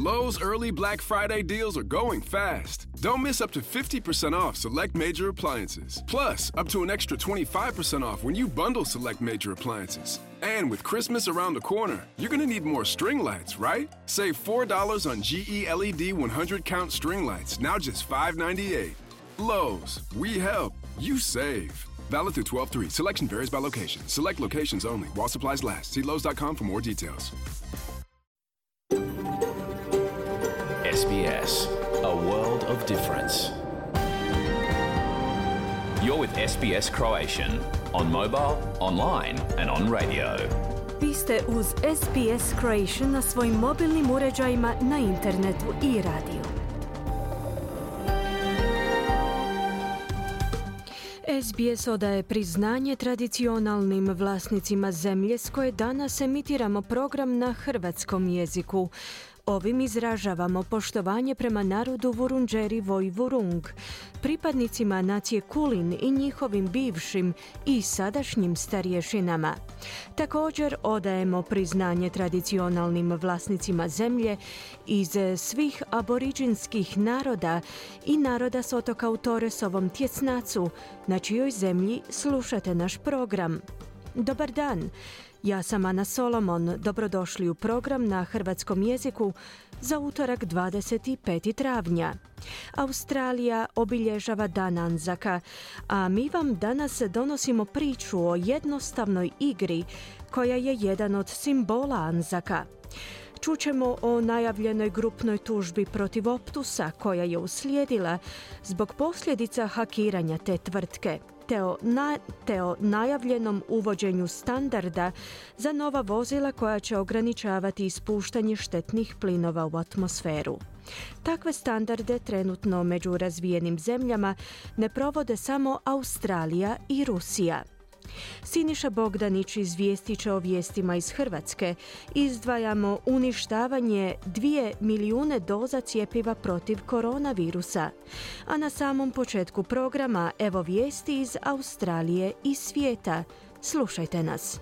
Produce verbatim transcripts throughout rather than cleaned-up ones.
Lowe's early Black Friday deals are going fast. Don't miss up to fifty percent off select major appliances. Plus, up to an extra twenty-five percent off when you bundle select major appliances. And with Christmas around the corner, you're going to need more string lights, right? Save four dollars on G E L E D one hundred count string lights, now just five ninety-eight. Lowe's, we help, you save. Valid through twelve three. Selection varies by location. Select locations only. While supplies last. See Lowe's dot com for more details. S B S, a world of difference. You're with S B S Croatian on mobile, online and on radio. Vi ste uz S B S Croatian na svojim mobilnim uređajima, na internetu i radiju. S B S odaje priznanje tradicionalnim vlasnicima zemlje s koje danas emitiramo program na hrvatskom jeziku. Ovim izražavamo poštovanje prema narodu Vurundjeri Voi Vurung, pripadnicima nacije Kulin i njihovim bivšim i sadašnjim starješinama. Također odajemo priznanje tradicionalnim vlasnicima zemlje iz svih aboriđinskih naroda i naroda s otoka u Toresovom tjesnacu, na čijoj zemlji slušate naš program. Dobar dan! Ja sam Ana Solomon. Dobrodošli u program na hrvatskom jeziku za utorak dvadeset petog travnja. Australija obilježava Dan Anzaka, a mi vam danas donosimo priču o jednostavnoj igri koja je jedan od simbola Anzaka. Čućemo o najavljenoj grupnoj tužbi protiv Optusa koja je uslijedila zbog posljedica hakiranja te tvrtke, te o, na, te o najavljenom uvođenju standarda za nova vozila koja će ograničavati ispuštanje štetnih plinova u atmosferu. Takve standarde trenutno među razvijenim zemljama ne provode samo Australija i Rusija. Siniša Bogdanić izvijestit će o vijestima iz Hrvatske. Izdvajamo uništavanje dvije milijune doza cjepiva protiv koronavirusa. A na samom početku programa evo vijesti iz Australije i svijeta. Slušajte nas.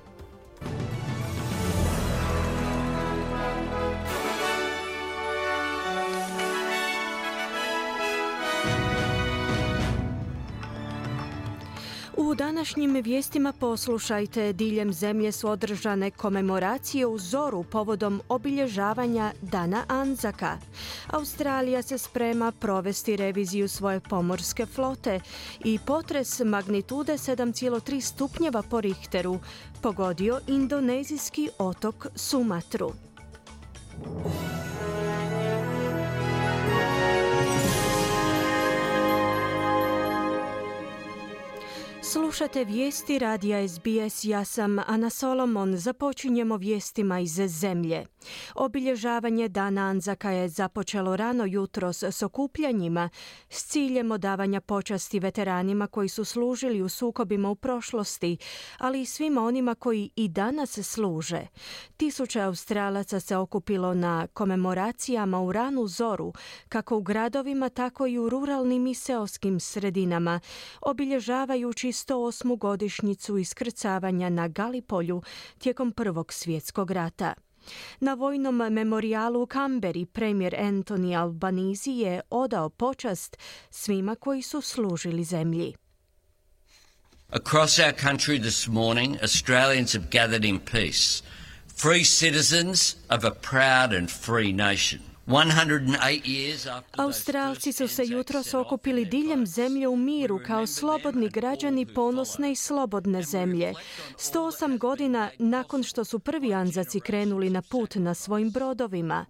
U današnjim vijestima poslušajte, diljem zemlje su održane komemoracije u zoru povodom obilježavanja Dana Anzaka. Australija se sprema provesti reviziju svoje pomorske flote i potres magnitude sedam zarez tri stupnjeva po Richteru pogodio indonezijski otok Sumatru. Slušate vijesti radija S B S, ja sam Ana Solomon. Započinjemo vijestima iz zemlje. Obilježavanje Dana Anzaka je započelo rano jutros s okupljanjima s ciljem odavanja počasti veteranima koji su služili u sukobima u prošlosti, ali i svima onima koji i danas služe. Tisuće Australaca se okupilo na komemoracijama u ranu zoru, kako u gradovima, tako i u ruralnim i seoskim sredinama, obilježavajući sto osmu godišnjicu iskrcavanja na Galipolju tijekom Prvog svjetskog rata. Na vojnom memorijalu u Canberri premijer Anthony Albanese je odao počast svima koji su služili zemlji. Across our country this morning, Australians have gathered in peace, free citizens of a proud and free nation. Australci su se jutros okupili diljem zemlje u miru kao slobodni građani ponosne i slobodne zemlje. sto osam godina nakon što su prvi Anzaci krenuli na put na svojim brodovima.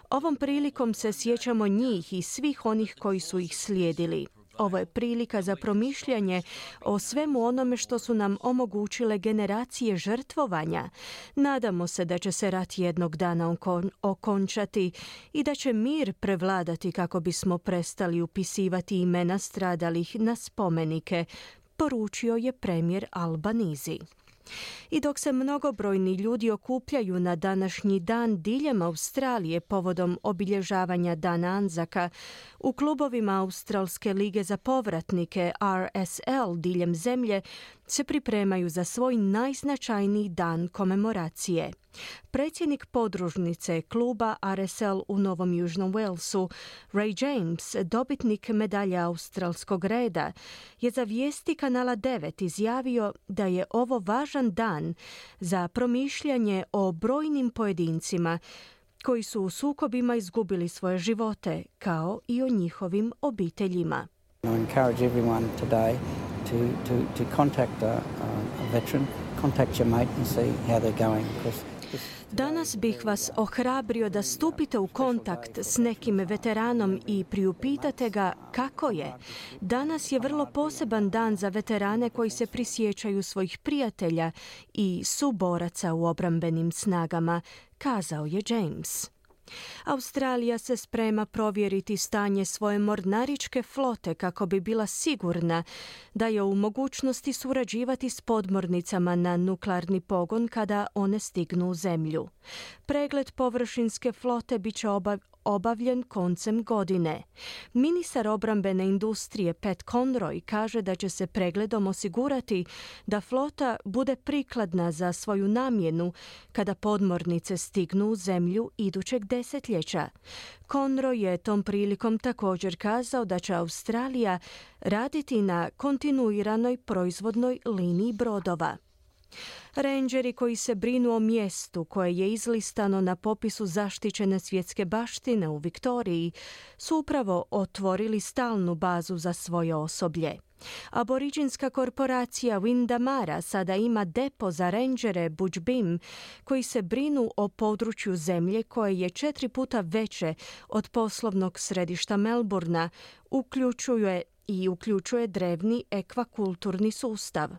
Ovom prilikom se sjećamo njih i svih onih koji su ih slijedili. Ovo je prilika za promišljanje o svemu onome što su nam omogućile generacije žrtvovanja. Nadamo se da će se rat jednog dana okon- okončati i da će mir prevladati kako bismo prestali upisivati imena stradalih na spomenike, poručio je premijer Albanese. I dok se mnogobrojni ljudi okupljaju na današnji dan diljem Australije povodom obilježavanja Dana Anzaka, u klubovima Australske lige za povratnike R S L diljem zemlje se pripremaju za svoj najznačajniji dan komemoracije. Predsjednik podružnice kluba R S L u Novom Južnom Walesu, Ray James, dobitnik medalje australskog reda, je za vijesti Kanala devet izjavio da je ovo važan dan za promišljanje o brojnim pojedincima koji su u sukobima izgubili svoje živote, kao i o njihovim obiteljima. I encourage everyone today to, to, to contact a, a veteran, contact your mate and see how they're going. Danas bih vas ohrabrio da stupite u kontakt s nekim veteranom i priupitate ga kako je. Danas je vrlo poseban dan za veterane koji se prisjećaju svojih prijatelja i suboraca u obrambenim snagama, kazao je James. Australija se sprema provjeriti stanje svoje mornaričke flote kako bi bila sigurna da je u mogućnosti surađivati s podmornicama na nuklearni pogon kada one stignu u zemlju. Pregled površinske flote bit će obav, obavljen koncem godine. Ministar obrambene industrije Pat Conroy kaže da će se pregledom osigurati da flota bude prikladna za svoju namjenu kada podmornice stignu u zemlju idućeg desetljeća. Conroy je tom prilikom također kazao da će Australija raditi na kontinuiranoj proizvodnoj liniji brodova. Rangeri koji se brinu o mjestu koje je izlistano na popisu zaštićene svjetske baštine u Viktoriji su upravo otvorili stalnu bazu za svoje osoblje. Aboriđinska korporacija Windamara sada ima depo za rangere Bujbim koji se brinu o području zemlje koje je četiri puta veće od poslovnog središta Melbourna, uključuje i uključuje drevni ekvakulturni sustav.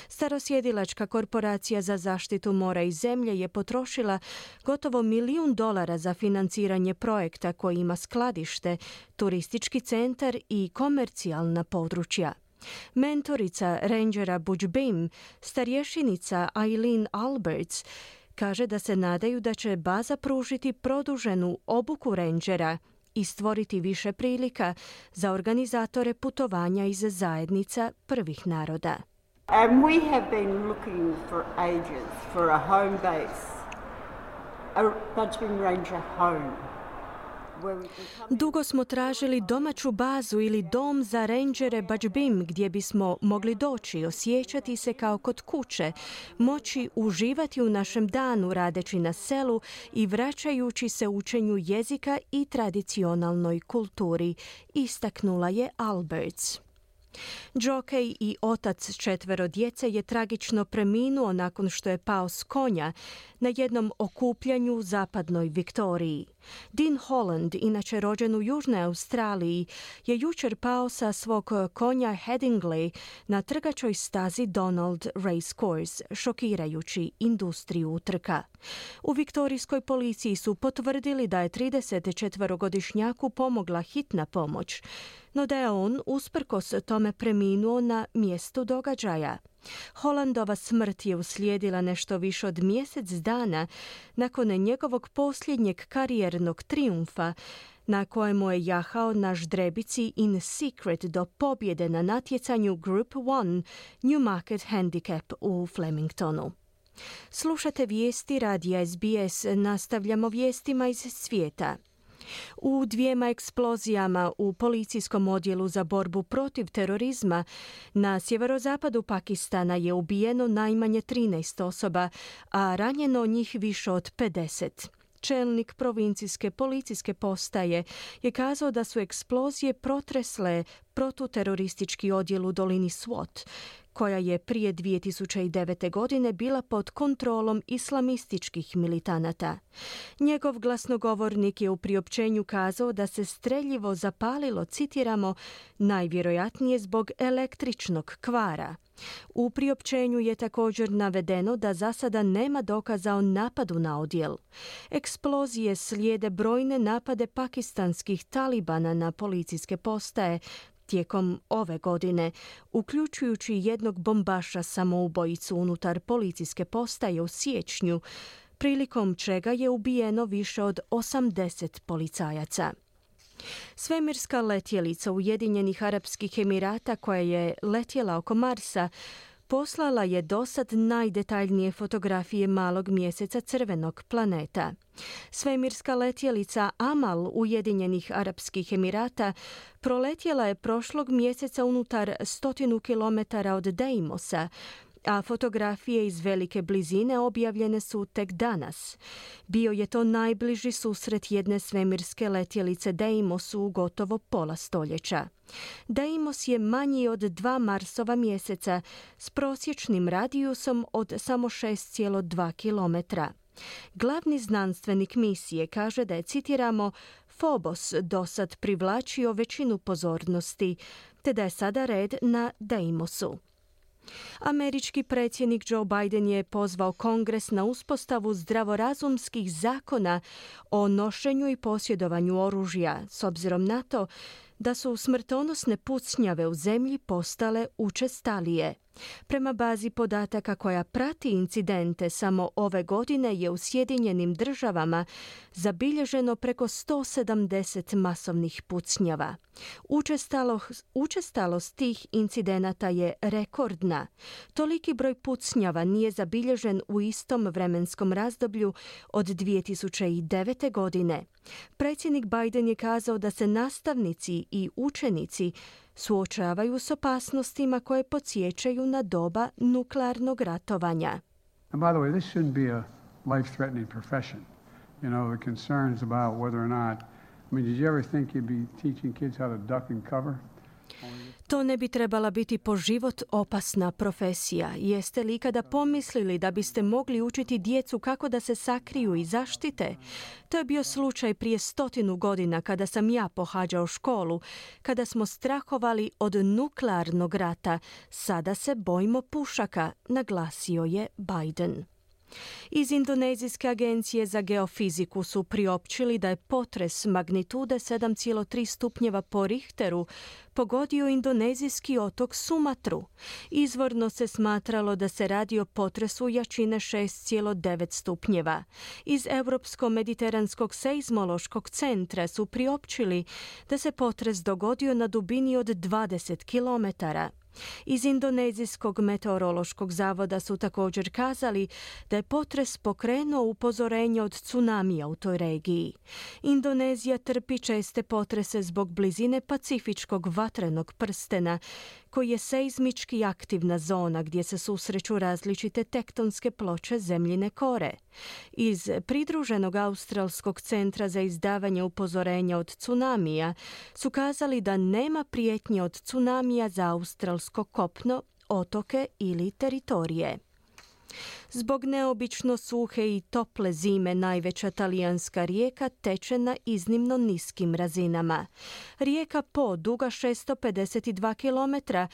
Starosjedilačka korporacija za zaštitu mora i zemlje je potrošila gotovo milijun dolara za financiranje projekta koji ima skladište, turistički centar i komercijalna područja. Mentorica rangera Bujbim, starješenica Eileen Alberts, kaže da se nadaju da će baza pružiti produženu obuku rangera i stvoriti više prilika za organizatore putovanja iz zajednica prvih naroda. And we have been looking for ages for a home base, a Bujbim Ranger home. Dugo smo tražili domaću bazu ili dom za rangere Bujbim gdje bismo mogli doći, osjećati se kao kod kuće, moći uživati u našem danu radeći na selu i vraćajući se učenju jezika i tradicionalnoj kulturi, istaknula je Alberts. Džokej i otac četvero djece je tragično preminuo nakon što je pao s konja na jednom okupljanju u zapadnoj Viktoriji. Dean Holland, inače rođen u Južnoj Australiji, je jučer pao sa svog konja Headingley na trgačoj stazi Donald Racecourse, šokirajući industriju utrka. U viktorijskoj policiji su potvrdili da je tridesetčetverogodišnjaku pomogla hitna pomoć, no da je on usprkos tome preminuo na mjestu događaja. Hollandova smrt je uslijedila nešto više od mjesec dana nakon njegovog posljednjeg karijernog trijumfa na kojemu je jahao na ždrebici In Secret do pobjede na natjecanju Group one Newmarket Handicap u Flemingtonu. Slušate vijesti radija S B S, nastavljamo vijestima iz svijeta. U dvijema eksplozijama u policijskom odjelu za borbu protiv terorizma na sjeverozapadu Pakistana je ubijeno najmanje trinaest osoba, a ranjeno njih više od pedeset. Čelnik provincijske policijske postaje je kazao da su eksplozije protresle protuteroristički odjel u dolini Swat, koja je prije dvije tisuće devete. godine bila pod kontrolom islamističkih militanata. Njegov glasnogovornik je u priopćenju kazao da se streljivo zapalilo, citiramo, najvjerojatnije zbog električnog kvara. U priopćenju je također navedeno da za sada nema dokaza o napadu na odjel. Eksplozije slijede brojne napade pakistanskih talibana na policijske postaje tijekom ove godine, uključujući jednog bombaša samoubojicu unutar policijske postaje u siječnju, prilikom čega je ubijeno više od osamdeset policajaca. Svemirska letjelica Ujedinjenih Arapskih Emirata koja je letjela oko Marsa poslala je dosad najdetaljnije fotografije malog mjeseca crvenog planeta. Svemirska letjelica Amal Ujedinjenih Arapskih Emirata proletjela je prošlog mjeseca unutar stotinu kilometara od Deimosa, a fotografije iz velike blizine objavljene su tek danas. Bio je to najbliži susret jedne svemirske letjelice Deimosu u gotovo pola stoljeća. Deimos je manji od dva Marsova mjeseca s prosječnim radijusom od samo šest zarez dva kilometra. Glavni znanstvenik misije kaže da je, citiramo, Phobos dosad privlačio većinu pozornosti, te da je sada red na Deimosu. Američki predsjednik Joe Biden je pozvao Kongres na uspostavu zdravorazumskih zakona o nošenju i posjedovanju oružja, s obzirom na to da su smrtonosne pucnjave u zemlji postale učestalije. Prema bazi podataka koja prati incidente, samo ove godine je u Sjedinjenim Državama zabilježeno preko sto sedamdeset masovnih pucnjava. Učestalost, učestalost tih incidenata je rekordna. Toliki broj pucnjava nije zabilježen u istom vremenskom razdoblju od dvije tisuće devete. godine. Predsjednik Biden je kazao da se nastavnici i učenici suočavaju s opasnostima koje podsjećaju na doba nuklearnog ratovanja. And by the way, this shouldn't be a life-threatening profession. You know, the concerns about whether or not, I mean, did you ever think you'd be teaching kids how to duck and cover? To ne bi trebala biti po život opasna profesija. Jeste li ikada pomislili da biste mogli učiti djecu kako da se sakriju i zaštite? To je bio slučaj prije stotinu godina kada sam ja pohađao školu, kada smo strahovali od nuklearnog rata. Sada se bojimo pušaka, naglasio je Biden. Iz Indonezijske agencije za geofiziku su priopćili da je potres magnitude sedam zarez tri stupnjeva po Richteru pogodio indonezijski otok Sumatru. Izvorno se smatralo da se radi o potresu jačine šest zarez devet stupnjeva. Iz Europsko-mediteranskog seizmološkog centra su priopćili da se potres dogodio na dubini od dvadeset kilometara. Iz Indonezijskog meteorološkog zavoda su također kazali da je potres pokrenuo upozorenje od tsunamija u toj regiji. Indonezija trpi česte potrese zbog blizine Pacifičkog vatrenog prstena, koji je seizmički aktivna zona gdje se susreću različite tektonske ploče zemljine kore. Iz pridruženog Australskog centra za izdavanje upozorenja od tsunamija su kazali da nema prijetnje od tsunamija za australsko kopno, otoke ili teritorije. Zbog neobično suhe i tople zime najveća talijanska rijeka teče na iznimno niskim razinama. Rijeka Po, duga šesto pedeset dva kilometra,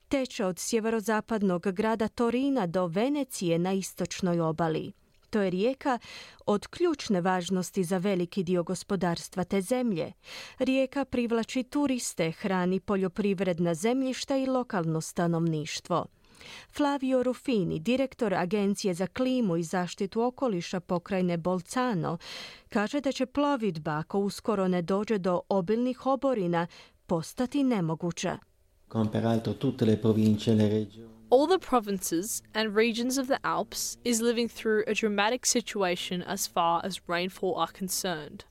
teče od sjeverozapadnog grada Torina do Venecije na istočnoj obali. To je rijeka od ključne važnosti za veliki dio gospodarstva te zemlje. Rijeka privlači turiste, hrani poljoprivredna zemljišta i lokalno stanovništvo. Flavio Ruffini, direktor Agencije za klimu i zaštitu okoliša pokrajine Bolzano, kaže da će plovidba, ako uskoro ne dođe do obilnih oborina, postati nemoguća. All the provinces and regions of the Alps is living through a dramatic situation as far as rainfall are concerned.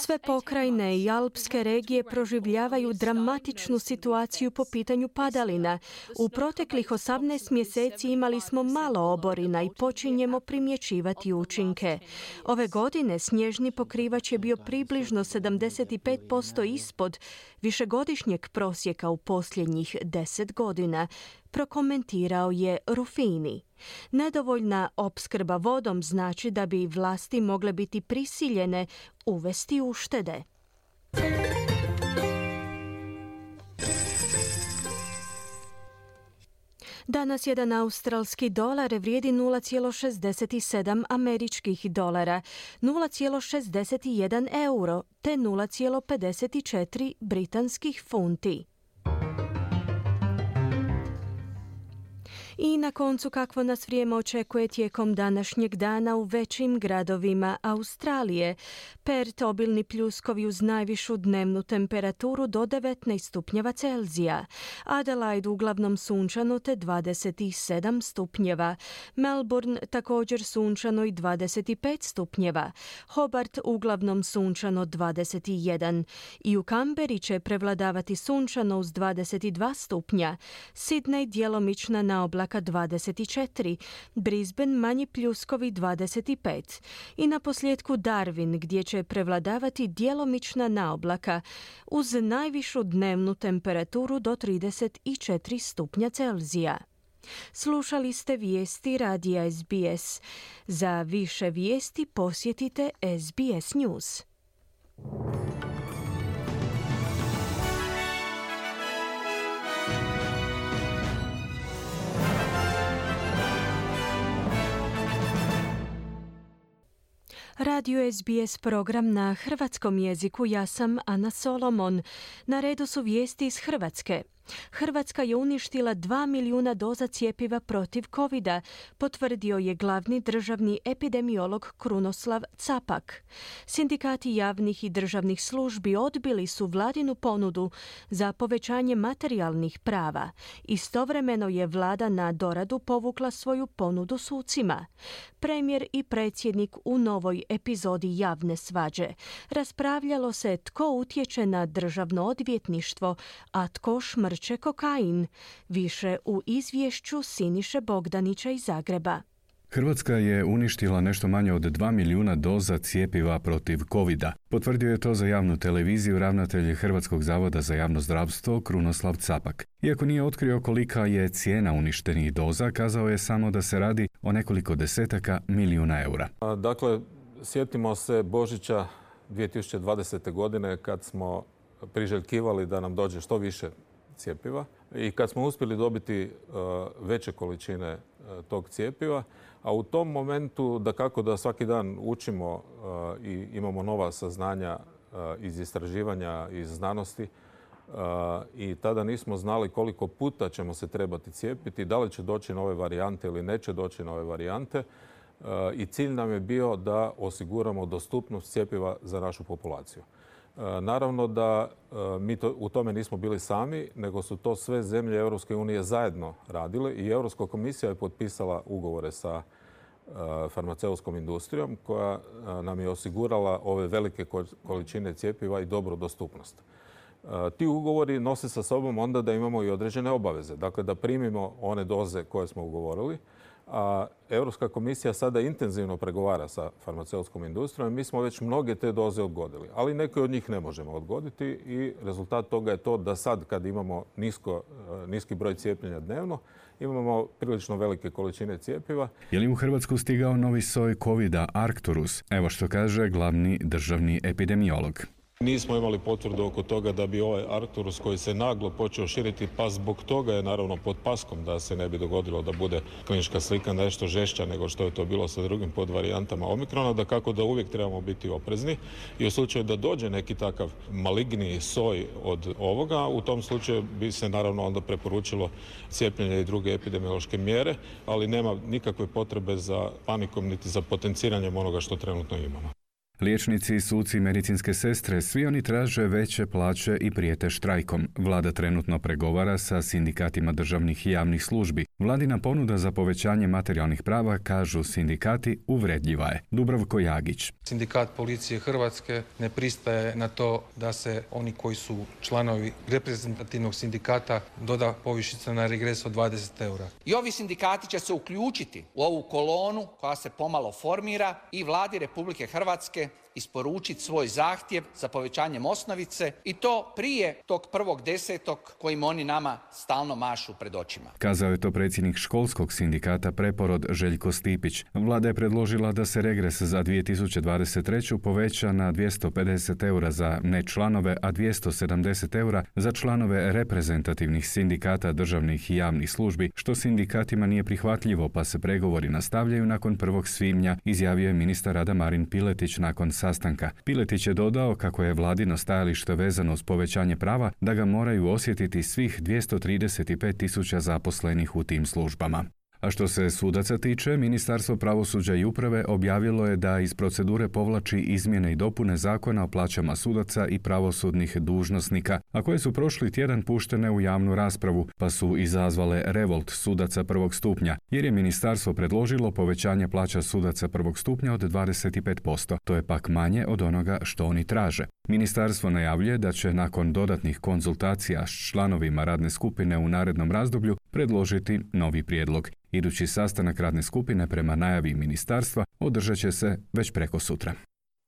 Sve pokrajine i alpske regije proživljavaju dramatičnu situaciju po pitanju padalina. U proteklih osamnaest mjeseci imali smo malo oborina i počinjemo primjećivati učinke. Ove godine snježni pokrivač je bio približno sedamdeset pet posto ispod višegodišnjeg prosjeka u posljednjih deset godina, prokomentirao je Ruffini. Nedovoljna opskrba vodom znači da bi vlasti mogle biti prisiljene uvesti uštede. Danas jedan australski dolar vrijedi nula zarez šezdeset sedam američkih dolara, nula zarez šezdeset jedan euro te nula zarez pedeset četiri britanskih funti. I na koncu kakvo nas vrijeme očekuje tijekom današnjeg dana u većim gradovima Australije. Perth obilni pljuskovi uz najvišu dnevnu temperaturu do devetnaest stupnjeva Celzija. Adelaide uglavnom sunčano te dvadeset sedam stupnjeva. Melbourne također sunčano i dvadeset pet stupnjeva. Hobart uglavnom sunčano dvadeset jedan. I u Kamberi će prevladavati sunčano uz dvadeset dva stupnja. Sydney djelomična naoblaka dvadeset četiri. Brisbane manji pljuskovi dvadeset pet. I na posljedku Darwin gdje će prevladavati djelomična naoblaka uz najvišu dnevnu temperaturu do trideset četiri stupnja Celzija. Slušali ste vijesti radija S B S. Za više vijesti posjetite S B S News. Radio S B S program na hrvatskom jeziku, ja sam Ana Solomon. Na redu su vijesti iz Hrvatske. Hrvatska je uništila dva milijuna doza cjepiva protiv covida, potvrdio je glavni državni epidemiolog Krunoslav Capak. Sindikati javnih i državnih službi odbili su vladinu ponudu za povećanje materijalnih prava. Istovremeno je vlada na doradu povukla svoju ponudu sucima. Premijer i predsjednik u novoj epizodi javne svađe. Raspravljalo se tko utječe na državno odvjetništvo, a tko šmrče kokain. Više u izvješću Siniše Bogdanića iz Zagreba. Hrvatska je uništila nešto manje od dva milijuna doza cjepiva protiv covida. Potvrdio je to za javnu televiziju ravnatelj Hrvatskog zavoda za javno zdravstvo Krunoslav Capak. Iako nije otkrio kolika je cijena uništenih doza, kazao je samo da se radi o nekoliko desetaka milijuna eura. Dakle, sjetimo se Božića dvije tisuće dvadesete. godine kad smo priželjkivali da nam dođe što više cjepiva i kad smo uspjeli dobiti uh, veće količine uh, tog cjepiva, a u tom momentu da kako da svaki dan učimo uh, i imamo nova saznanja uh, iz istraživanja, iz znanosti uh, i tada nismo znali koliko puta ćemo se trebati cijepiti, da li će doći nove varijante ili neće doći nove varijante uh, i cilj nam je bio da osiguramo dostupnost cjepiva za našu populaciju. Naravno da mi to, u tome nismo bili sami, nego su to sve zemlje Europske unije zajedno radile i Europska komisija je potpisala ugovore sa farmaceutskom industrijom koja nam je osigurala ove velike količine cjepiva i dobru dostupnost. Ti ugovori nose sa sobom onda da imamo i određene obaveze, dakle da primimo one doze koje smo ugovorili, a Europska komisija sada intenzivno pregovara sa farmaceutskom industrijom i mi smo već mnoge te doze odgodili, ali neke od njih ne možemo odgoditi i rezultat toga je to da sad kad imamo nisko, niski broj cijepljenja dnevno, imamo prilično velike količine cjepiva. Je li u Hrvatsku stigao novi soj covida Arcturus? Evo što kaže glavni državni epidemiolog. Nismo imali potvrdu oko toga da bi ovaj Arcturus koji se naglo počeo širiti, pa zbog toga je naravno pod paskom da se ne bi dogodilo da bude klinička slika nešto žešća nego što je to bilo sa drugim podvarijantama Omikrona, da kako da uvijek trebamo biti oprezni i u slučaju da dođe neki takav maligniji soj od ovoga, u tom slučaju bi se naravno onda preporučilo cijepljenje i druge epidemiološke mjere, ali nema nikakve potrebe za panikom niti za potenciranjem onoga što trenutno imamo. Liječnici, suci i medicinske sestre, svi oni traže veće plaće i prijete štrajkom. Vlada trenutno pregovara sa sindikatima državnih i javnih službi. Vladina ponuda za povećanje materijalnih prava, kažu sindikati, uvredljiva je. Dubravko Jagić. Sindikat policije Hrvatske ne pristaje na to da se oni koji su članovi reprezentativnog sindikata doda povišica na regres od dvadeset eura. I ovi sindikati će se uključiti u ovu kolonu koja se pomalo formira i Vladi Republike Hrvatske isporučiti svoj zahtjev za povećanjem osnovice i to prije tog prvog desetog kojim oni nama stalno mašu pred očima. Kazao je to predsjednik školskog sindikata Preporod Željko Stipić. Vlada je predložila da se regres za dvije tisuće dvadeset treću poveća na dvjesto pedeset eura za nečlanove, a dvjesto sedamdeset eura za članove reprezentativnih sindikata državnih i javnih službi, što sindikatima nije prihvatljivo, pa se pregovori nastavljaju nakon prvog svibnja, izjavio je ministar rada Marin Piletić nakon sastanka sastanka. Piletić je dodao kako je vladino stajalište vezano uz povećanje prava da ga moraju osjetiti svih dvjesto trideset pet tisuća zaposlenih u tim službama. A što se sudaca tiče, Ministarstvo pravosuđa i uprave objavilo je da iz procedure povlači izmjene i dopune zakona o plaćama sudaca i pravosudnih dužnosnika, a koje su prošli tjedan puštene u javnu raspravu, pa su izazvale revolt sudaca prvog stupnja, jer je ministarstvo predložilo povećanje plaća sudaca prvog stupnja od dvadeset pet posto. To je pak manje od onoga što oni traže. Ministarstvo najavljuje da će nakon dodatnih konzultacija s članovima radne skupine u narednom razdoblju predložiti novi prijedlog. Idući sastanak radne skupine prema najavi ministarstva održat će se već preko sutra.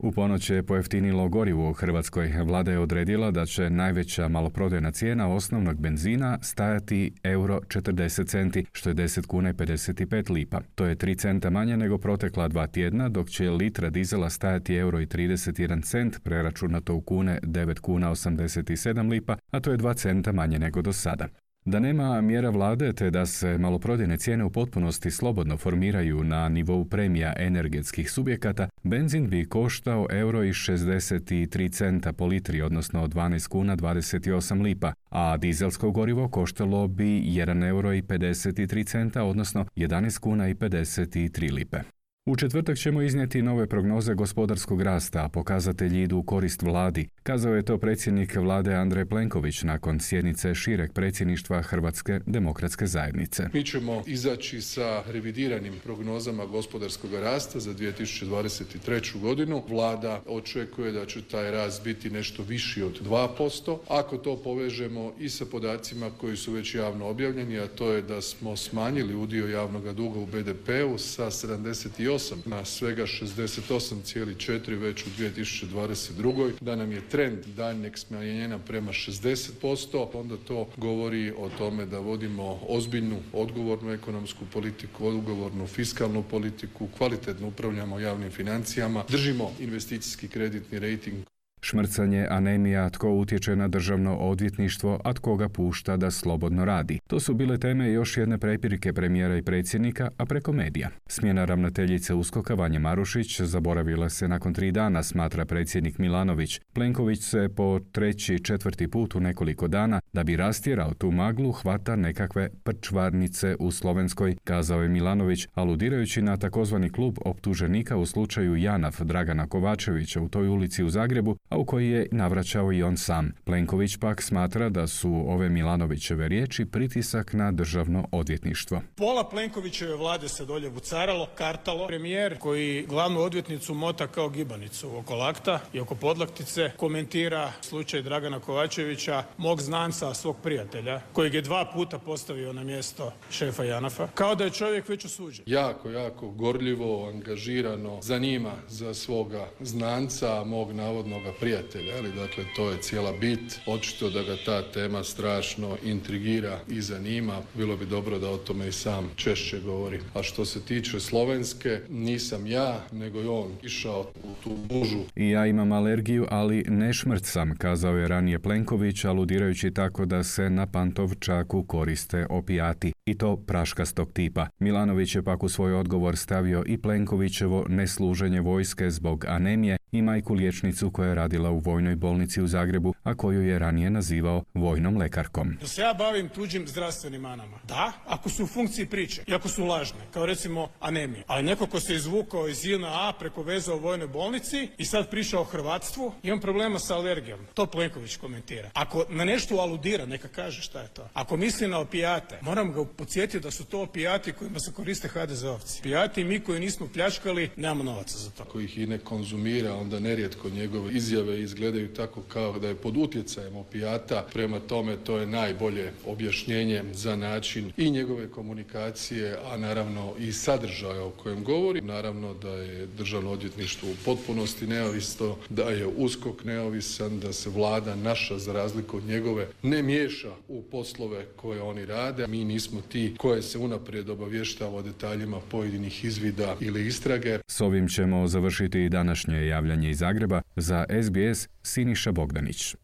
U ponoć je pojeftinilo gorivo u Hrvatskoj. Vlada je odredila da će najveća maloprodajna cijena osnovnog benzina stajati euro četrdeset centi, što je deset kuna i pedeset pet lipa. To je tri centa manje nego protekla dva tjedna, dok će litra dizela stajati euro i trideset jedan cent, preračunato u kune devet kuna osamdeset sedam lipa, a to je dva centa manje nego do sada. Da nema mjera vlade te da se maloprodajne cijene u potpunosti slobodno formiraju na nivou premija energetskih subjekata, benzin bi koštao euro i šezdeset tri centa po litri, odnosno dvanaest kuna dvadeset osam lipa, a dizelsko gorivo koštalo bi jedan euro i pedeset tri centa, odnosno jedanaest kuna i pedeset tri lipe. U četvrtak ćemo iznijeti nove prognoze gospodarskog rasta, a pokazatelji idu u korist vladi. Kazao je to predsjednik vlade Andrej Plenković nakon sjednice šireg predsjedništva Hrvatske demokratske zajednice. Mi ćemo izaći sa revidiranim prognozama gospodarskog rasta za dvije tisuće dvadeset treću godinu. Vlada očekuje da će taj rast biti nešto viši od dva posto. Ako to povežemo i sa podacima koji su već javno objavljeni, a to je da smo smanjili udio javnog duga u be de peu sa sedamdeset osam na svega šezdeset osam zarez četiri već u dvije tisuće dvadeset drugoj da nam je trend daljnjeg smanjenja prema šezdeset posto, onda to govori o tome da vodimo ozbiljnu, odgovornu ekonomsku politiku, odgovornu fiskalnu politiku, kvalitetno upravljamo javnim financijama, držimo investicijski kreditni rejting. Šmrcanje, anemija, tko utječe na državno odvjetništvo, a tko ga pušta da slobodno radi. To su bile teme još jedne prepirke premijera i predsjednika, a preko medija. Smjena ravnateljice USKOK-a Vanje Marušić zaboravila se nakon tri dana, smatra predsjednik Milanović. Plenković se po treći, četvrti put u nekoliko dana, da bi rastjerao tu maglu, hvata nekakve prčvarnice u Slovenskoj, kazao je Milanović, aludirajući na takozvani klub optuženika u slučaju Janaf Dragana Kovačevića u toj ulici u Zagrebu, a u koji je navraćao i on sam. Plenković pak smatra da su ove Milanovićeve riječi pritisak na državno odvjetništvo. Pola Plenkovićeve vlade se dolje vucaralo, kartalo. Premijer koji glavnu odvjetnicu mota kao gibanicu oko lakta i oko podlaktice komentira slučaj Dragana Kovačevića, mog znanca, svog prijatelja, kojeg je dva puta postavio na mjesto šefa Janafa, kao da je čovjek već osuđen. Jako, jako gorljivo, angažirano zanima za svoga znanca, mog navodnoga prijatelja, ali dakle to je cijela bit. Očito da ga ta tema strašno intrigira i zanima. Bilo bi dobro da o tome i sam češće govori. A što se tiče Slovenske, nisam ja, nego je on išao u tu bužu. I ja imam alergiju, ali ne šmrcam, kazao je ranije Plenković, aludirajući tako da se na Pantovčaku koriste opijati, i to praškastog tipa. Milanović je pak u svoj odgovor stavio i Plenkovićevo nesluženje vojske zbog anemije i majku liječnicu koja je radila u vojnoj bolnici u Zagrebu, a koju je ranije nazivao vojnom lekarkom. Da se ja bavim tuđim zdravstvenim manama. Da, ako su u funkciji priče i ako su lažne, kao recimo anemija. Ali neko ko se izvukao iz J N A preko veza u vojnoj bolnici i sad priča o hrvatstvu, imam problema sa alergijom. To Plenković komentira. Ako na nešto aludira, neka kaže šta je to. Ako misli na opijate, moram ga podsjetiti da su to opijati kojima se koriste ha de zeovci. Opijati i mi koji nismo pljačkali, nemamo novaca za to. Ako ih i ne konzumira, onda nerijetko njegove izjave izgledaju tako kao da je pod utjecajem opijata. Prema tome, to je najbolje objašnjenje za način i njegove komunikacije, a naravno i sadržaja o kojem govori. Naravno da je državno odvjetništvo u potpunosti neovisno, da je USKOK neovisan, da se vlada naša, za razliku od njegove, ne miješa u poslove koje oni rade. Mi nismo ti koje se unaprijed obavještava o detaljima pojedinih izvida ili istrage. S ovim ćemo završiti i današnje javljanje iz Zagreba. Za S B S Siniša Bogdanić.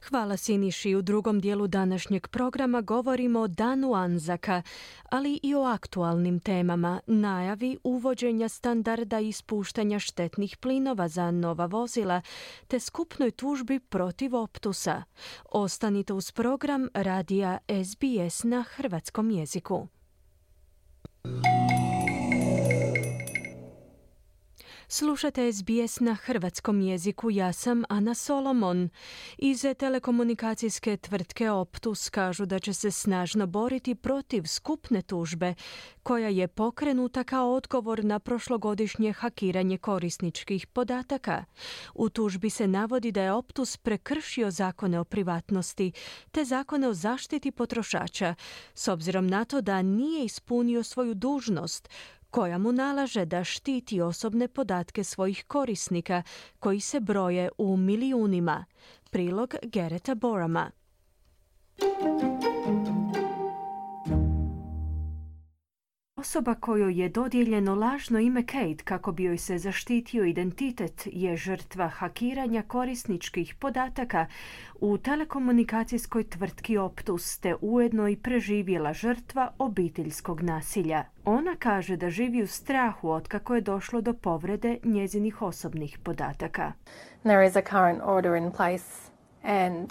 Hvala Siniši. U drugom dijelu današnjeg programa govorimo o Danu Anzaka, ali i o aktualnim temama, najavi uvođenja standarda ispuštanja štetnih plinova za nova vozila, te skupnoj tužbi protiv Optusa. Ostanite uz program radija S B S na hrvatskom jeziku. Slušate S B S na hrvatskom jeziku, ja sam Ana Solomon. Iz telekomunikacijske tvrtke Optus kažu da će se snažno boriti protiv skupne tužbe, koja je pokrenuta kao odgovor na prošlogodišnje hakiranje korisničkih podataka. U tužbi se navodi da je Optus prekršio zakone o privatnosti te zakone o zaštiti potrošača, s obzirom na to da nije ispunio svoju dužnost, koja mu nalaže da štiti osobne podatke svojih korisnika, koji se broje u milijunima. Prilog Garretta Borama. Osoba kojoj je dodijeljeno lažno ime Kate kako bi joj se zaštitio identitet je žrtva hakiranja korisničkih podataka u telekomunikacijskoj tvrtki Optus, te ujedno i preživjela žrtva obiteljskog nasilja. Ona kaže da živi u strahu otkako je došlo do povrede njezinih osobnih podataka. There is a current order in place and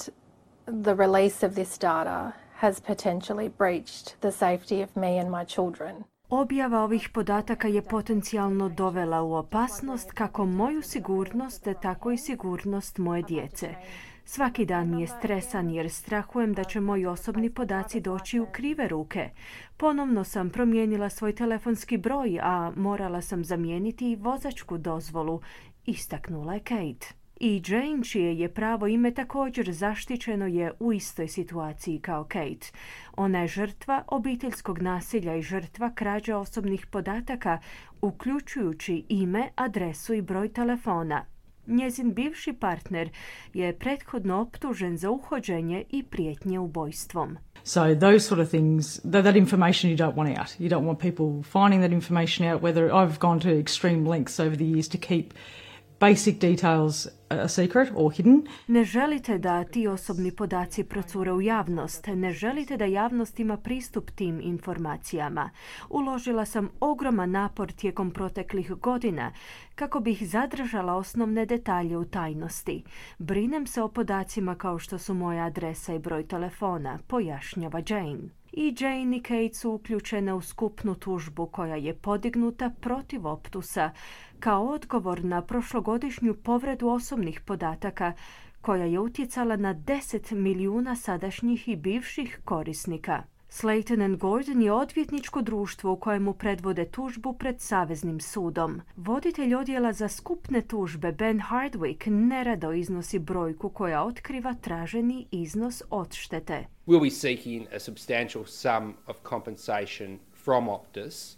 the release of this data has potentially breached the safety of me and my children. Objava ovih podataka je potencijalno dovela u opasnost kako moju sigurnost, tako i sigurnost moje djece. Svaki dan mi je stresan jer strahujem da će moji osobni podaci doći u krive ruke. Ponovno sam promijenila svoj telefonski broj, a morala sam zamijeniti i vozačku dozvolu, istaknula je Kate. I Jane, čije je pravo ime također zaštićeno, je u istoj situaciji kao Kate. Ona je žrtva obiteljskog nasilja i žrtva krađe osobnih podataka, uključujući ime, adresu i broj telefona. Njezin bivši partner je prethodno optužen za uhođenje i prijetnje ubojstvom. So those sort of things, that, that information you don't want out. You don't want people finding that information out, whether I've gone to extreme lengths over the years to keep basic details a secret or hidden. Ne želite da ti osobni podaci procure u javnost. Ne želite da javnost ima pristup tim informacijama. Uložila sam ogroman napor tijekom proteklih godina kako bih zadržala osnovne detalje u tajnosti. Brinem se o podacima kao što su moja adresa i broj telefona, pojašnjava Jane. I Jane i Kate su uključene u skupnu tužbu koja je podignuta protiv Optusa kao odgovor na prošlogodišnju povredu osobnih podataka koja je utjecala na deset milijuna sadašnjih i bivših korisnika. Slayton and Gordon je odvjetničko društvo u kojemu predvode tužbu pred Saveznim sudom. Voditelj odjela za skupne tužbe Ben Hardwick nerado iznosi brojku koja otkriva traženi iznos odštete. We'll be seeking a substantial sum of compensation from Optus.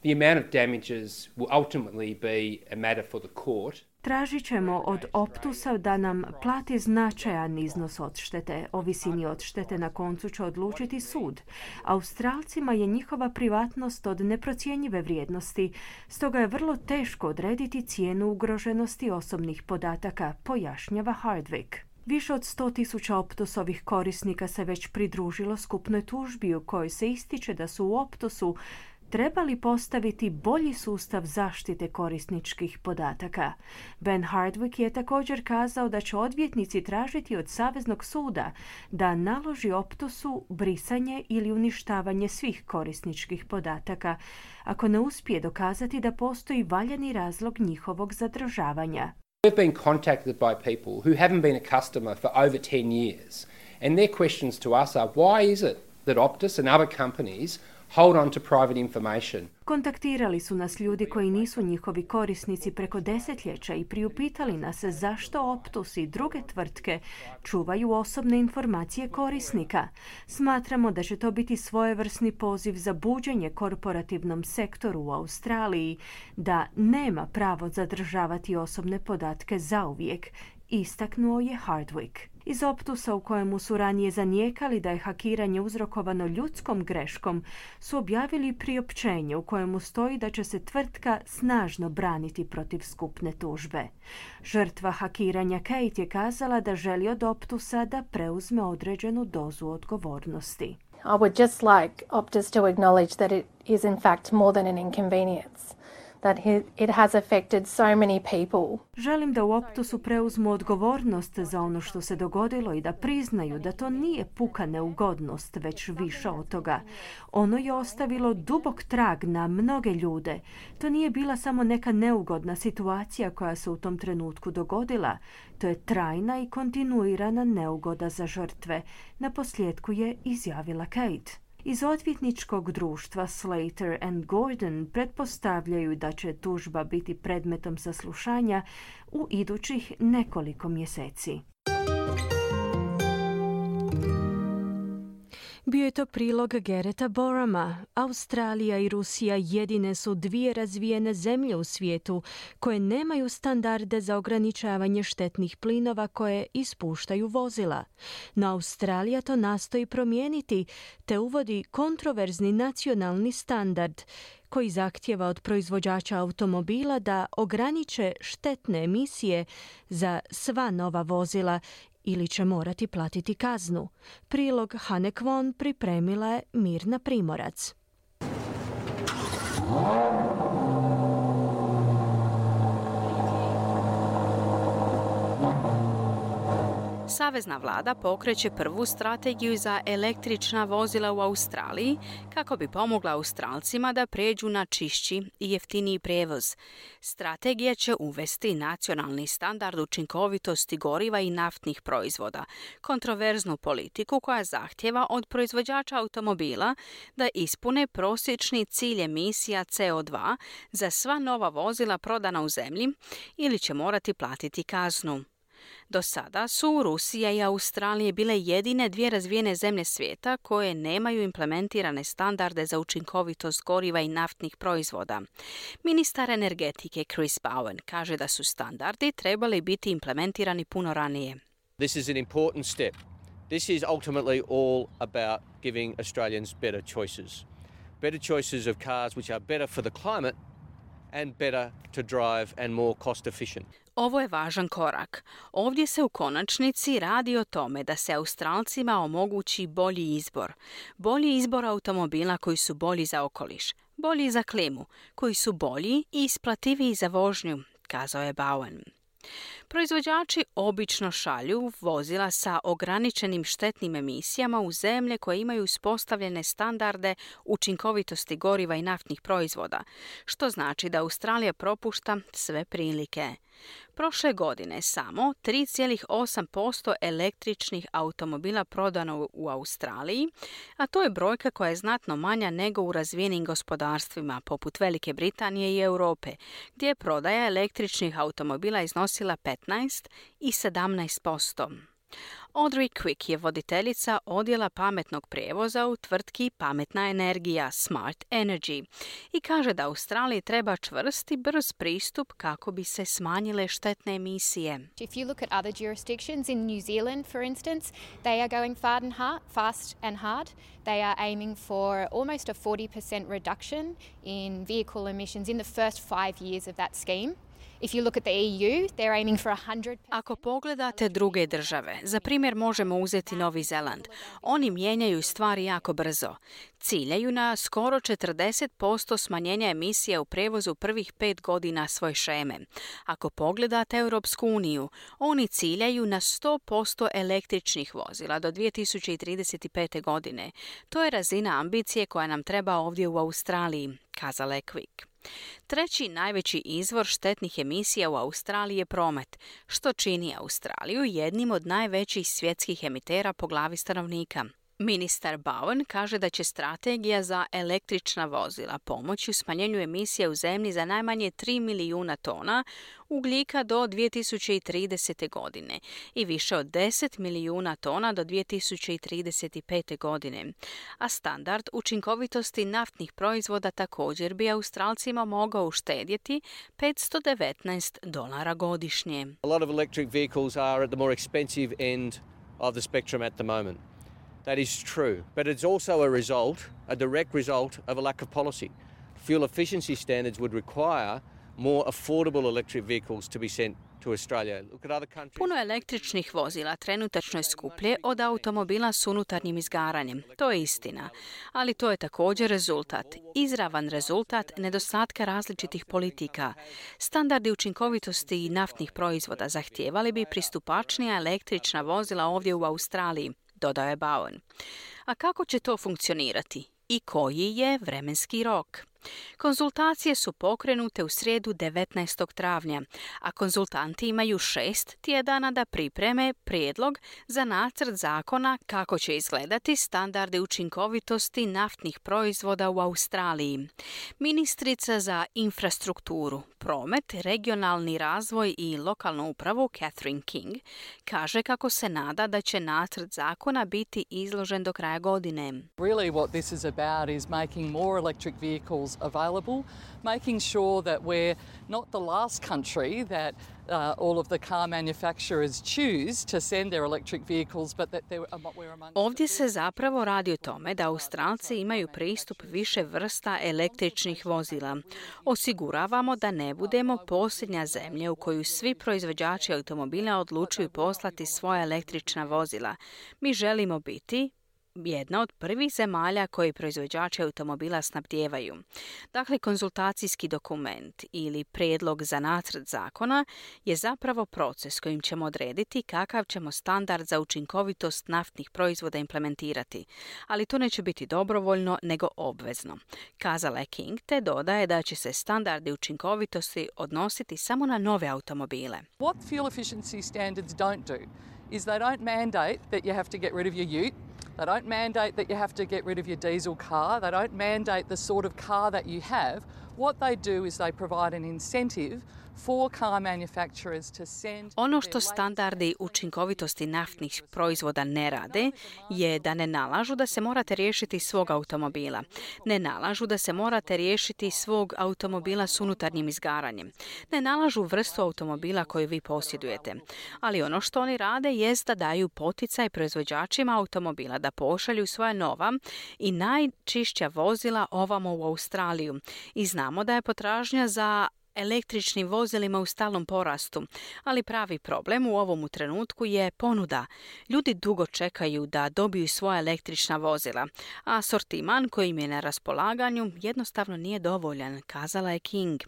The amount of damages will ultimately be a matter for the court. Tražit ćemo od Optusa da nam plati značajan iznos odštete. O visini odštete na koncu će odlučiti sud. Australcima je njihova privatnost od neprocjenjive vrijednosti, stoga je vrlo teško odrediti cijenu ugroženosti osobnih podataka, pojašnjava Hardwick. Više od sto tisuća Optusovih korisnika se već pridružilo skupnoj tužbi u kojoj se ističe da su u Optusu trebali postaviti bolji sustav zaštite korisničkih podataka. Ben Hardwick je također kazao da će odvjetnici tražiti od Saveznog suda da naloži Optusu brisanje ili uništavanje svih korisničkih podataka ako ne uspije dokazati da postoji valjani razlog njihovog zadržavanja. We've been contacted by people who haven't been a customer for over ten years, and their questions to us are, why is it that Optus and other companies hold on to private information? Kontaktirali su nas ljudi koji nisu njihovi korisnici preko desetljeća i priupitali nas zašto Optus i druge tvrtke čuvaju osobne informacije korisnika. Smatramo da će to biti svojevrsni poziv za buđenje korporativnom sektoru u Australiji da nema pravo zadržavati osobne podatke zauvijek, istaknuo je Hardwick. Iz optusa u kojemu su ranije zanijekali da je hakiranje uzrokovano ljudskom greškom, su objavili priopćenje u kojemu stoji da će se tvrtka snažno braniti protiv skupne tužbe. Žrtva hakiranja Kate je kazala da želi od optusa da preuzme određenu dozu odgovornosti. I would just like Optus to acknowledge that it is in fact more than an inconvenience. That it has affected so many people. Želim da u Optusu preuzmu odgovornost za ono što se dogodilo i da priznaju da to nije puka neugodnost, već više od toga. Ono je ostavilo dubok trag na mnoge ljude. To nije bila samo neka neugodna situacija koja se u tom trenutku dogodila. To je trajna i kontinuirana neugoda za žrtve. Naposljetku je izjavila Kate. Iz odvjetničkog društva Slater and Gordon pretpostavljaju da će tužba biti predmetom saslušanja u idućih nekoliko mjeseci. Bio je to prilog Garretta Borama. Australija i Rusija jedine su dvije razvijene zemlje u svijetu koje nemaju standarde za ograničavanje štetnih plinova koje ispuštaju vozila. No Australija to nastoji promijeniti te uvodi kontroverzni nacionalni standard koji zahtijeva od proizvođača automobila da ograniče štetne emisije za sva nova vozila ili će morati platiti kaznu. Prilog Hane Kwon pripremila je Mirna Primorac. Savezna vlada pokreće prvu strategiju za električna vozila u Australiji kako bi pomogla Australcima da pređu na čišći i jeftiniji prijevoz. Strategija će uvesti nacionalni standard učinkovitosti goriva i naftnih proizvoda, kontroverznu politiku koja zahtjeva od proizvođača automobila da ispune prosječni cilj emisija C O dva za sva nova vozila prodana u zemlji ili će morati platiti kaznu. Do sada su Rusija i Australija bile jedine dvije razvijene zemlje svijeta koje nemaju implementirane standarde za učinkovitost goriva i naftnih proizvoda. Ministar energetike Chris Bowen kaže da su standardi trebali biti implementirani puno ranije. This is an important step. This is ultimately all about giving Australians better choices. Better choices of cars which are better for the climate and better to drive and more cost efficient. Ovo je važan korak. Ovdje se u konačnici radi o tome da se Australcima omogući bolji izbor. Bolji izbor automobila koji su bolji za okoliš, bolji za klimu, koji su bolji i isplativiji za vožnju, kazao je Bowen. Proizvođači obično šalju vozila sa ograničenim štetnim emisijama u zemlje koje imaju uspostavljene standarde učinkovitosti goriva i naftnih proizvoda, što znači da Australija propušta sve prilike. Prošle godine samo tri zarez osam posto električnih automobila prodano u Australiji, a to je brojka koja je znatno manja nego u razvijenim gospodarstvima poput Velike Britanije i Europe, gdje je prodaja električnih automobila iznosila petnaest i sedamnaest posto. Audrey Quick je voditeljica odjela pametnog prijevoza u tvrtki Pametna energija Smart Energy i kaže da Australiji treba čvrst i brz pristup kako bi se smanjile štetne emisije. If you look at other jurisdictions in New Zealand, for instance, they are going fast and hard, fast and hard. They are aiming for almost a forty percent reduction in vehicle emissions in the first five years of that scheme. If you look at the E U, they're aiming for one hundred percent. Ako pogledate druge države, za primjer možemo uzeti Novi Zeland. Oni mijenjaju stvari jako brzo. Ciljaju na skoro četrdeset posto smanjenja emisija u prijevozu prvih pet godina svoje šeme. Ako pogledate Europsku uniju, oni ciljaju na sto posto električnih vozila do dvije tisuće trideset pete. godine. To je razina ambicije koja nam treba ovdje u Australiji, kazala je Quick. Treći najveći izvor štetnih emisija u Australiji je promet, što čini Australiju jednim od najvećih svjetskih emitera po glavi stanovnika. Ministar Bowen kaže da će strategija za električna vozila pomoći u smanjenju emisija u zemlji za najmanje tri milijuna tona ugljika do dvije tisuće tridesete. godine i više od deset milijuna tona do dvije tisuće trideset pete. godine. A standard učinkovitosti naftnih proizvoda također bi Australcima mogao uštedjeti petsto devetnaest dolara godišnje. A lot of electric vehicles are at the more expensive end of the spectrum at the moment. That is true, but it's also a result, a direct result of a lack of policy. Fuel efficiency standards would require more affordable electric vehicles to be sent to Australia. Look at other countries. Puno električnih vozila trenutačno je skuplje od automobila s unutarnjim izgaranjem. To je istina. Ali to je također rezultat, izravan rezultat nedostatka različitih politika. Standardi učinkovitosti naftnih proizvoda zahtijevali bi pristupačnija električna vozila ovdje u Australiji, dodao je Bowen. A kako će to funkcionirati? I koji je vremenski rok? Konzultacije su pokrenute u srijedu devetnaestog travnja, a konzultanti imaju šest tjedana da pripreme prijedlog za nacrt zakona kako će izgledati standardi učinkovitosti naftnih proizvoda u Australiji. Ministrica za infrastrukturu, promet, regionalni razvoj i lokalnu upravu Catherine King kaže kako se nada da će nacrt zakona biti izložen do kraja godine. Really what this is about is making more electric vehicles available, making sure that we're not the last country that uh, all of the car manufacturers choose to send their electric vehicles, but that we're among... Ovdje se zapravo radi o tome da Australci imaju pristup više vrsta električnih vozila. Osiguravamo da ne budemo posljednja zemlja u koju svi proizvođači automobila odlučuju poslati svoja električna vozila. Mi želimo biti jedna od prvih zemalja koji proizvođači automobila snabdijevaju. Dakle, konzultacijski dokument ili prijedlog za nacrt zakona je zapravo proces kojim ćemo odrediti kakav ćemo standard za učinkovitost naftnih proizvoda implementirati. Ali to neće biti dobrovoljno, nego obvezno. Kazala je King, te dodaje da će se standardi učinkovitosti odnositi samo na nove automobile. What fuel efficiency standards don't do is they don't mandate that you have to get rid of your ute. They don't mandate that you have to get rid of your diesel car. They don't mandate the sort of car that you have. What they do is they provide an incentive for car manufacturers to send... Ono što standardi učinkovitosti naftnih proizvoda ne rade je da ne nalažu da se morate riješiti svog automobila. Ne nalažu da se morate riješiti svog automobila s unutarnjim izgaranjem. Ne nalažu vrstu automobila koju vi posjedujete. Ali ono što oni rade jest da daju poticaj proizvođačima automobila da pošalju svoja nova i najčišća vozila ovamo u Australiju. I znamo da je potražnja za električnim vozilima u stalnom porastu, ali pravi problem u ovom trenutku je ponuda. Ljudi dugo čekaju da dobiju svoja električna vozila, a asortiman koji im je na raspolaganju jednostavno nije dovoljan, kazala je King.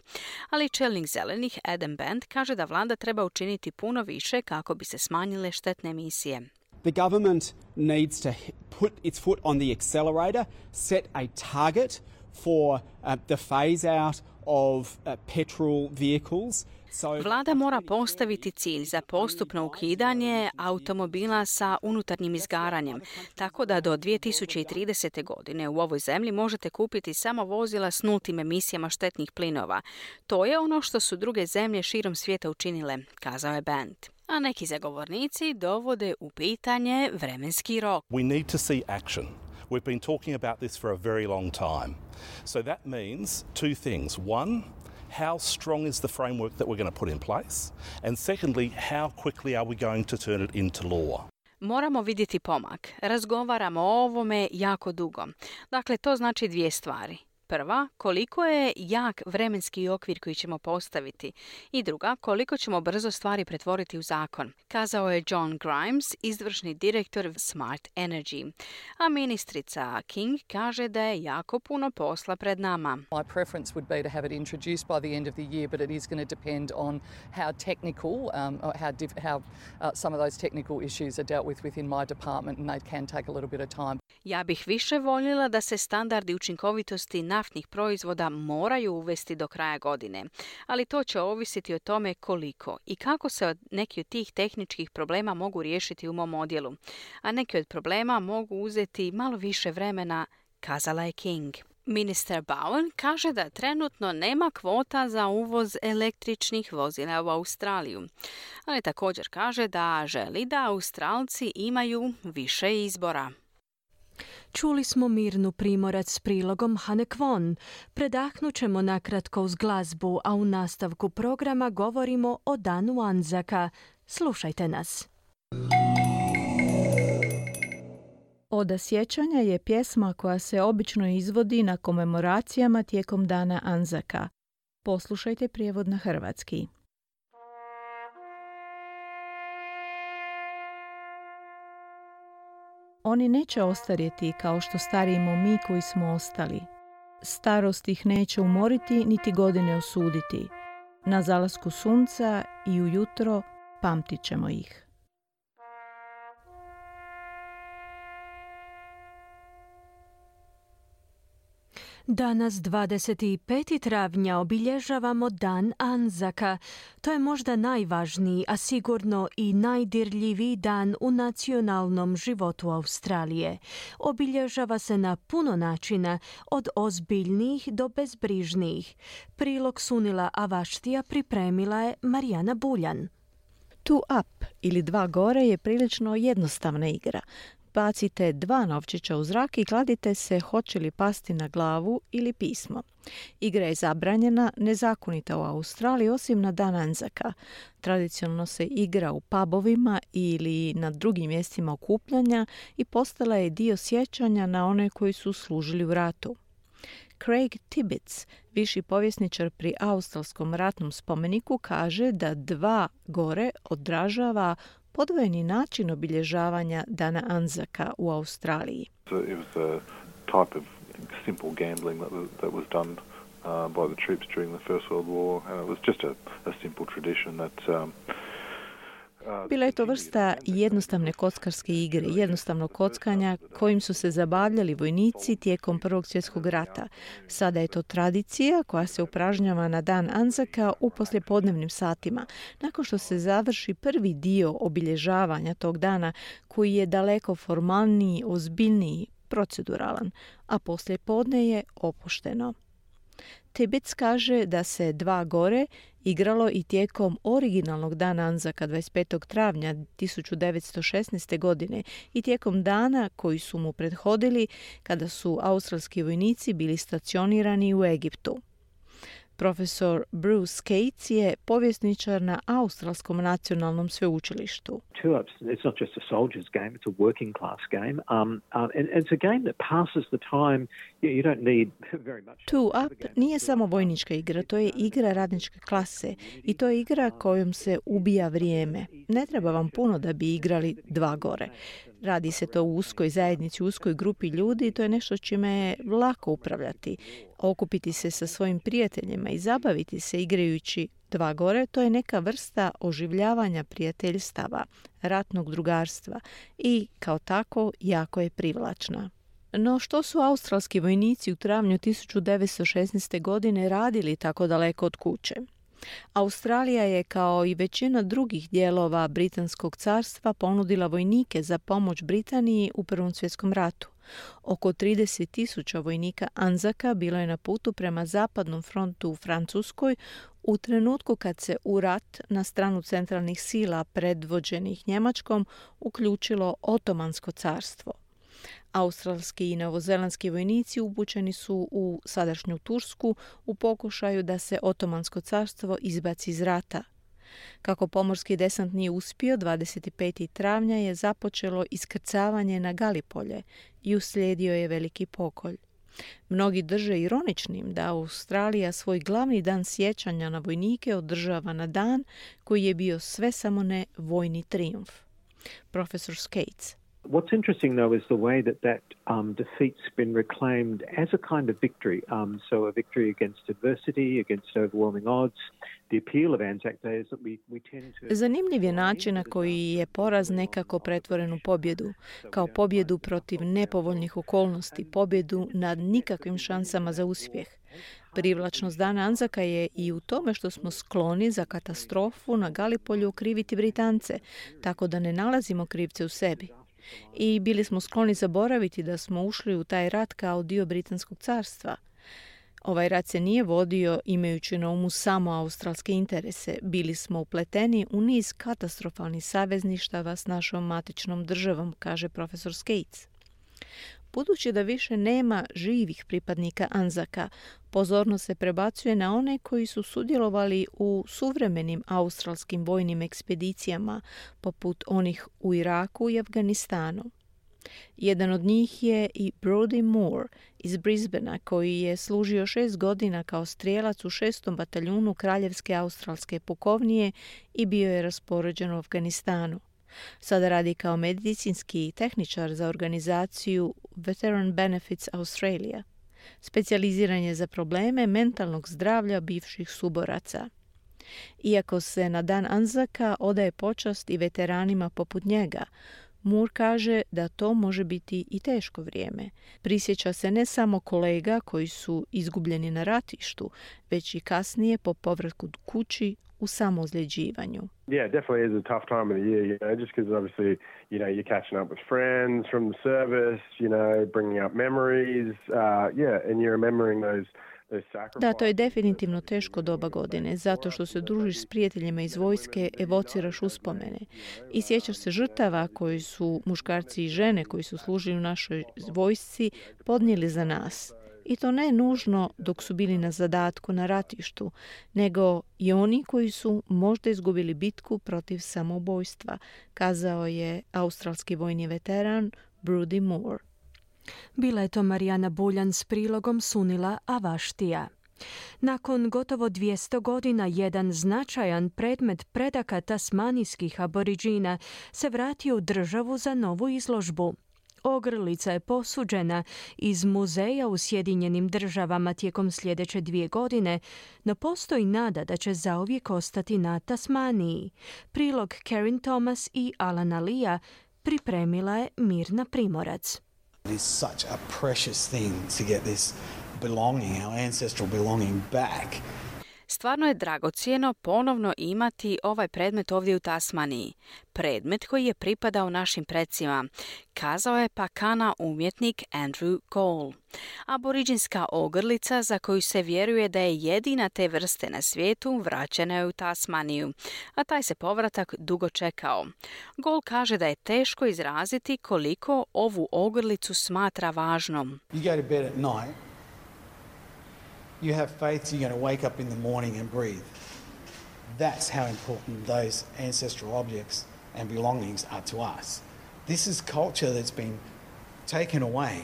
Ali čelnik zelenih Adam Band kaže da vlada treba učiniti puno više kako bi se smanjile štetne emisije. The government needs to put its foot on the accelerator, set a target for uh, the phase out of uh, petrol vehicles. Vlada mora postaviti cilj za postupno ukidanje automobila sa unutarnjim izgaranjem, tako da do dvije tisuće tridesete. godine u ovoj zemlji možete kupiti samo vozila s nultim emisijama štetnih plinova. To je ono što su druge zemlje širom svijeta učinile, kazao je Band. A neki zagovornici dovode u pitanje vremenski rok. We need to see action. We've been talking about this for a very long time. So that means two things. One, how strong is the framework that we're going to put in place? And secondly, how quickly are we going to turn it into law? Moramo vidjeti pomak. Razgovaramo o ovome jako dugo. Dakle, to znači dvije stvari. Prva, koliko je jak vremenski okvir koji ćemo postaviti. I druga, koliko ćemo brzo stvari pretvoriti u zakon, kazao je John Grimes, izvršni direktor Smart Energy. A ministrica King kaže da je jako puno posla pred nama. My preference would be to have it introduced by the end of the year, but it is going to depend on how technical, um, or how, diff- how uh, some of those technical issues are dealt with within my department, and they can take a little bit of time. Ja bih više voljela da se standardi učinkovitosti naftnih proizvoda moraju uvesti do kraja godine, ali to će ovisiti o tome koliko i kako se neki od tih tehničkih problema mogu riješiti u mom odjelu, a neki od problema mogu uzeti malo više vremena, kazala je King. Ministar Bowen kaže da trenutno nema kvota za uvoz električnih vozila u Australiju, ali također kaže da želi da Australci imaju više izbora. Čuli smo Mirnu Primorac s prilogom Hane Kwon. Predahnut ćemo nakratko uz glazbu, a u nastavku programa govorimo o Danu Anzaka. Slušajte nas. Oda sjećanja je pjesma koja se obično izvodi na komemoracijama tijekom Dana Anzaka. Poslušajte prijevod na hrvatski. Oni neće ostarjeti kao što starimo mi koji smo ostali. Starost ih neće umoriti niti godine osuditi. Na zalasku sunca i ujutro pamtit ćemo ih. Danas, dvadeset peti travnja, obilježavamo Dan Anzaka. To je možda najvažniji, a sigurno i najdirljiviji dan u nacionalnom životu Australije. Obilježava se na puno načina, od ozbiljnijih do bezbrižnijih. Prilog Sunila Avaštija pripremila je Marijana Buljan. Two up ili dva gore je prilično jednostavna igra. Bacite dva novčića u zrak i kladite se hoće li pasti na glavu ili pismo. Igra je zabranjena, nezakonita u Australiji osim na Dan Anzaka. Tradicionalno se igra u pubovima ili na drugim mjestima okupljanja i postala je dio sjećanja na one koji su služili u ratu. Craig Tibbets, viši povjesničar pri Australskom ratnom spomeniku, kaže da dva gore odražava podvojeni način obilježavanja Dana Anzaka u Australiji. It was a type of simple gambling that was, that was done uh, by the troops during the First World War, and it was just a, a simple tradition that um, Bila je to vrsta jednostavne kockarske igre, jednostavnog kockanja kojim su se zabavljali vojnici tijekom Prvog svjetskog rata. Sada je to tradicija koja se upražnjava na Dan Anzaka u poslijepodnevnim satima, nakon što se završi prvi dio obilježavanja tog dana koji je daleko formalniji, ozbiljniji, proceduralan, a poslijepodne je opušteno. Tibbets kaže da se dva gore igralo i tijekom originalnog Dana Anzaka dvadeset petog travnja tisuću devetsto šesnaeste. godine i tijekom dana koji su mu prethodili kada su australski vojnici bili stacionirani u Egiptu. Profesor Bruce Cates je povjesničar na Australskom nacionalnom sveučilištu. Two ups, it's not just a soldier's game, it's a working class game. Um, um, and, and it's a game that passes the time. You, you don't need very much. Two up nije samo vojnička igra, to je igra radničke klase i to je igra kojom se ubija vrijeme. Ne treba vam puno da bi igrali dva gore. Radi se to u uskoj zajednici, u uskoj grupi ljudi i to je nešto čime je lako upravljati. Okupiti se sa svojim prijateljima i zabaviti se igrajući dva gore, to je neka vrsta oživljavanja prijateljstava, ratnog drugarstva i kao tako jako je privlačna. No što su australski vojnici u travnju tisuću devetsto šesnaeste. godine radili tako daleko od kuće? Australija je, kao i većina drugih dijelova Britanskog carstva, ponudila vojnike za pomoć Britaniji u Prvom svjetskom ratu. Oko trideset tisuća vojnika Anzaka bilo je na putu prema zapadnom frontu u Francuskoj u trenutku kad se u rat na stranu centralnih sila predvođenih Njemačkom uključilo Otomansko carstvo. Australski i novozelandski vojnici upućeni su u sadašnju Tursku u pokušaju da se Otomansko carstvo izbaci iz rata. Kako pomorski desant nije uspio, dvadeset petog travnja je započelo iskrcavanje na Galipolje i uslijedio je veliki pokolj. Mnogi drže ironičnim da Australija svoj glavni dan sjećanja na vojnike održava na dan koji je bio sve samo ne vojni trijumf. Profesor Skates. What's interesting, though, is the way that that um, defeat's been reclaimed as a kind of victory. Um, so a victory against adversity, against overwhelming odds. The appeal of Anzac Day is that we, we tend to... Zanimljiv je način na koji je poraz nekako pretvoren u pobjedu, kao pobjedu protiv nepovoljnih okolnosti, pobjedu nad nikakvim šansama za uspjeh. Privlačnost Dana Anzaka je i u tome što smo skloni za katastrofu na Galipolju kriviti Britance, tako da ne nalazimo krivce u sebi. I bili smo skloni zaboraviti da smo ušli u taj rat kao dio Britanskog carstva. Ovaj rat se nije vodio imajući na umu samo australske interese. Bili smo upleteni u niz katastrofalnih savezništava s našom matičnom državom, kaže profesor Skates. Budući da više nema živih pripadnika Anzaka, pozornost se prebacuje na one koji su sudjelovali u suvremenim australskim vojnim ekspedicijama, poput onih u Iraku i Afganistanu. Jedan od njih je i Brodie Moore iz Brisbanea, koji je služio šest godina kao strijelac u šestom bataljunu Kraljevske australske pukovnije i bio je raspoređen u Afganistanu. Sada radi kao medicinski tehničar za organizaciju Veteran Benefits Australia. Specijaliziran je za probleme mentalnog zdravlja bivših suboraca. Iako se na Dan Anzaka odaje počast i veteranima poput njega, Moore kaže da to može biti i teško vrijeme. Prisjeća se ne samo kolega koji su izgubljeni na ratištu, već i kasnije po povratku kući u samoozljeđivanju. Yeah, definitely is a tough time of the year, you know, just because obviously, you know, you're catching up with friends from the service, you know, bringing up memories, uh, yeah, and you're remembering those Da, to je definitivno teško doba godine, zato što se družiš s prijateljima iz vojske, evociraš uspomene i sjećaš se žrtava koji su muškarci i žene koji su služili u našoj vojsci podnijeli za nas. I to ne nužno dok su bili na zadatku na ratištu, nego i oni koji su možda izgubili bitku protiv samoubojstva, kazao je australski vojni veteran Brodie Moore. Bila je to Marijana Buljan s prilogom Sunila Avaštija. Nakon gotovo dvjesto godina jedan značajan predmet predaka tasmanijskih aboriđina se vratio u državu za novu izložbu. Ogrlica je posuđena iz muzeja u Sjedinjenim državama tijekom sljedeće dvije godine, no postoji nada da će zauvijek ostati na Tasmaniji. Prilog Karen Thomas i Alana Lea pripremila je Mirna Primorac. It is such a precious thing to get this belonging, our ancestral belonging back. Stvarno je dragocjeno ponovno imati ovaj predmet ovdje u Tasmaniji. Predmet koji je pripadao našim predsima, kazao je Pakana umjetnik Andrew Cole. Aboriđinska ogrlica za koju se vjeruje da je jedina te vrste na svijetu vraćena je u Tasmaniju, a taj se povratak dugo čekao. Cole kaže da je teško izraziti koliko ovu ogrlicu smatra važnom. You go to bed at night. You have faith you're going to wake up in the morning and breathe. That's how important those ancestral objects and belongings are to us. This is culture that's been taken away.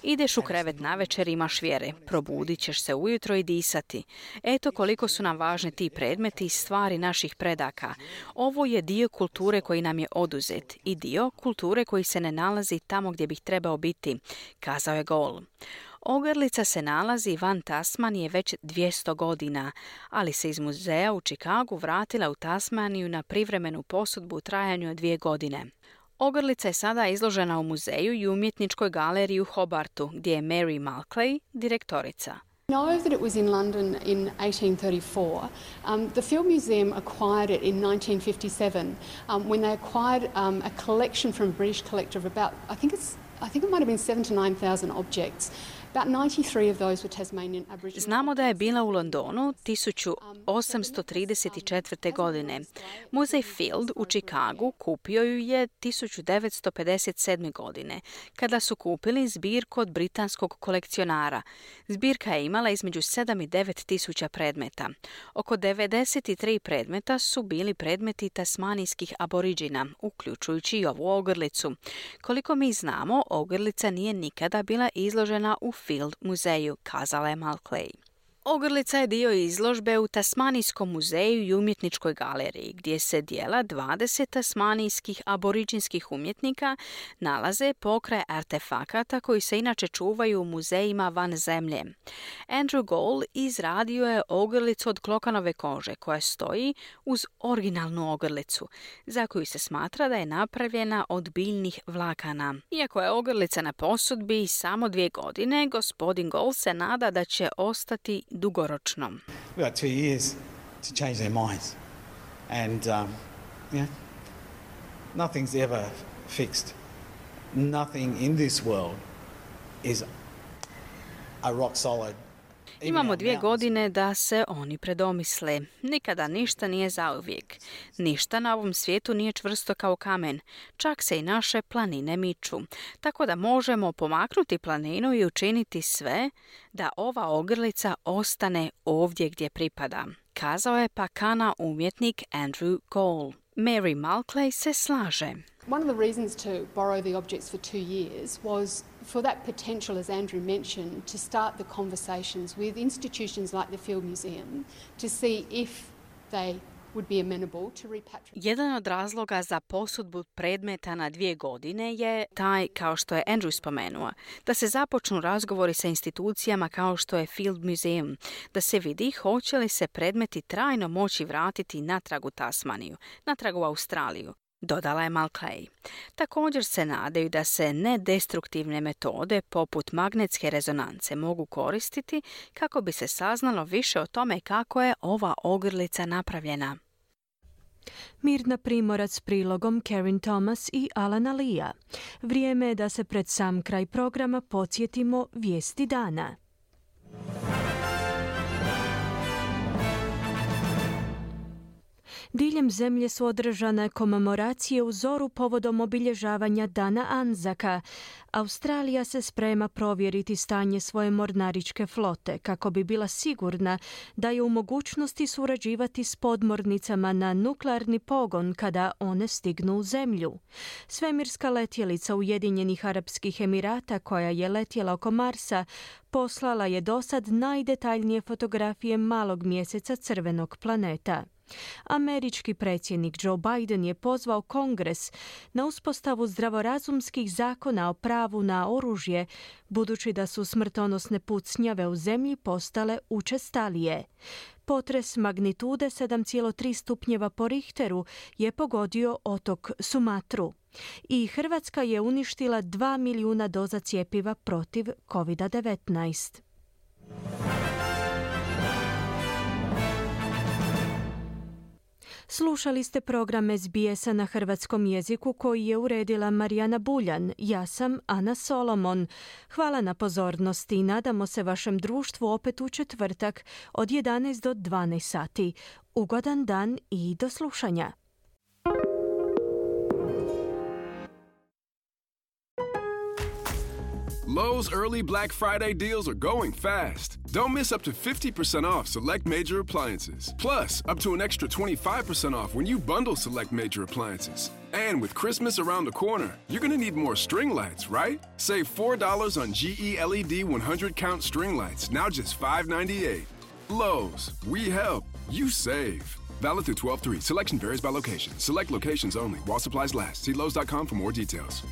Ideš u krevet navečer, imaš vjere, probudit ćeš se ujutro i disati. Eto koliko su nam važni ti predmeti i stvari naših predaka. Ovo je dio kulture koji nam je oduzet i dio kulture koji se ne nalazi tamo gdje bih trebao biti, kazao je Cole. Ogrlica se nalazi van Tasmanije već dvjesto godina, ali se iz muzeja u Chicagu vratila u Tasmaniju na privremenu posudbu u trajanju od dvije godine. Ogrlica je sada izložena u muzeju i umjetničkoj galeriji u Hobartu, gdje je Mary Malclay direktorica. I know that it was in London in eighteen thirty-four. Um, the Field Museum acquired it in nineteen fifty-seven um, when they acquired um, a collection from a British collector of about, I think it's, I think it might have been seven to nine thousand objects. About ninety-three of those were Tasmanian Aboriginal. Znamo da je bila u Londonu tisuću osamsto trideset četvrte. godine. Muzej Field u Chicagu kupio ju je tisuću devetsto pedeset sedme. godine, kada su kupili zbirku od britanskog kolekcionara. Zbirka je imala između sedam i devet tisuća predmeta. Oko devedeset tri predmeta su bili predmeti tasmanijskih aboriđina, uključujući i ovu ogrlicu. Koliko mi znamo, ogrlica nije nikada bila izložena u Field muzeju, kazala je Malclay. Ogrlica je dio izložbe u Tasmanijskom muzeju i umjetničkoj galeriji, gdje se dijela dvadeset tasmanijskih aboriđinskih umjetnika nalaze pokraj artefakata koji se inače čuvaju u muzejima van zemlje. Andrew Gold izradio je ogrlicu od klokanove kože koja stoji uz originalnu ogrlicu, za koju se smatra da je napravljena od biljnih vlakana. Iako je ogrlica na posudbi samo dvije godine, gospodin Gold se nada da će ostati dugoročno. We've got two years to change their minds. And, um, you know, nothing's ever fixed. Nothing in this world is a rock solid. Imamo dvije godine da se oni predomisle. Nikada ništa nije zauvijek. Ništa na ovom svijetu nije čvrsto kao kamen. Čak se i naše planine miču. Tako da možemo pomaknuti planinu i učiniti sve da ova ogrlica ostane ovdje gdje pripada. Kazao je Pakana umjetnik Andrew Gold. Mary Mulclay se slaže. One of the reasons to borrow the objects for two years was for that potential, as Andrew mentioned, to start the conversations with institutions like the Field Museum to see if they would be amenable to repatriation. Jedan od razloga za posudbu predmeta na dvije godine je taj, kao što je Andrew spomenuo, da se započnu razgovori sa institucijama kao što je Field Museum, da se vidi hoće li se predmeti trajno moći vratiti natrag u Tasmaniju, natrag u Australiju, dodala je Mulclay. Također se nadaju da se nedestruktivne metode poput magnetske rezonance mogu koristiti kako bi se saznalo više o tome kako je ova ogrlica napravljena. Mirna Primorac s prilogom Karen Thomas i Alana Lea. Vrijeme je da se pred sam kraj programa podsjetimo vijesti dana. Diljem zemlje su održane komemoracije u zoru povodom obilježavanja Dana Anzaka. Australija se sprema provjeriti stanje svoje mornaričke flote kako bi bila sigurna da je u mogućnosti surađivati s podmornicama na nuklearni pogon kada one stignu u zemlju. Svemirska letjelica Ujedinjenih Arapskih Emirata koja je letjela oko Marsa poslala je dosad najdetaljnije fotografije malog mjeseca crvenog planeta. Američki predsjednik Joe Biden je pozvao Kongres na uspostavu zdravorazumskih zakona o pravu na oružje, budući da su smrtonosne pucnjave u zemlji postale učestalije. Potres magnitude sedam zarez tri stupnjeva po Richteru je pogodio otok Sumatru. I Hrvatska je uništila dva milijuna doza cjepiva protiv kovid devetnaest. Slušali ste program S B S-a na hrvatskom jeziku koji je uredila Marijana Buljan. Ja sam Ana Solomon. Hvala na pozornosti i nadamo se vašem društvu opet u četvrtak od jedanaest do dvanaest sati. Ugodan dan i do slušanja. Lowe's early Black Friday deals are going fast. Don't miss up to fifty percent off select major appliances. Plus, up to an extra twenty-five percent off when you bundle select major appliances. And with Christmas around the corner, you're going to need more string lights, right? Save four dollars on G E L E D one hundred count string lights, now just five ninety-eight. Lowe's, we help, you save. Valid through twelve three. Selection varies by location. Select locations only. While supplies last. See Lowe's dot com for more details.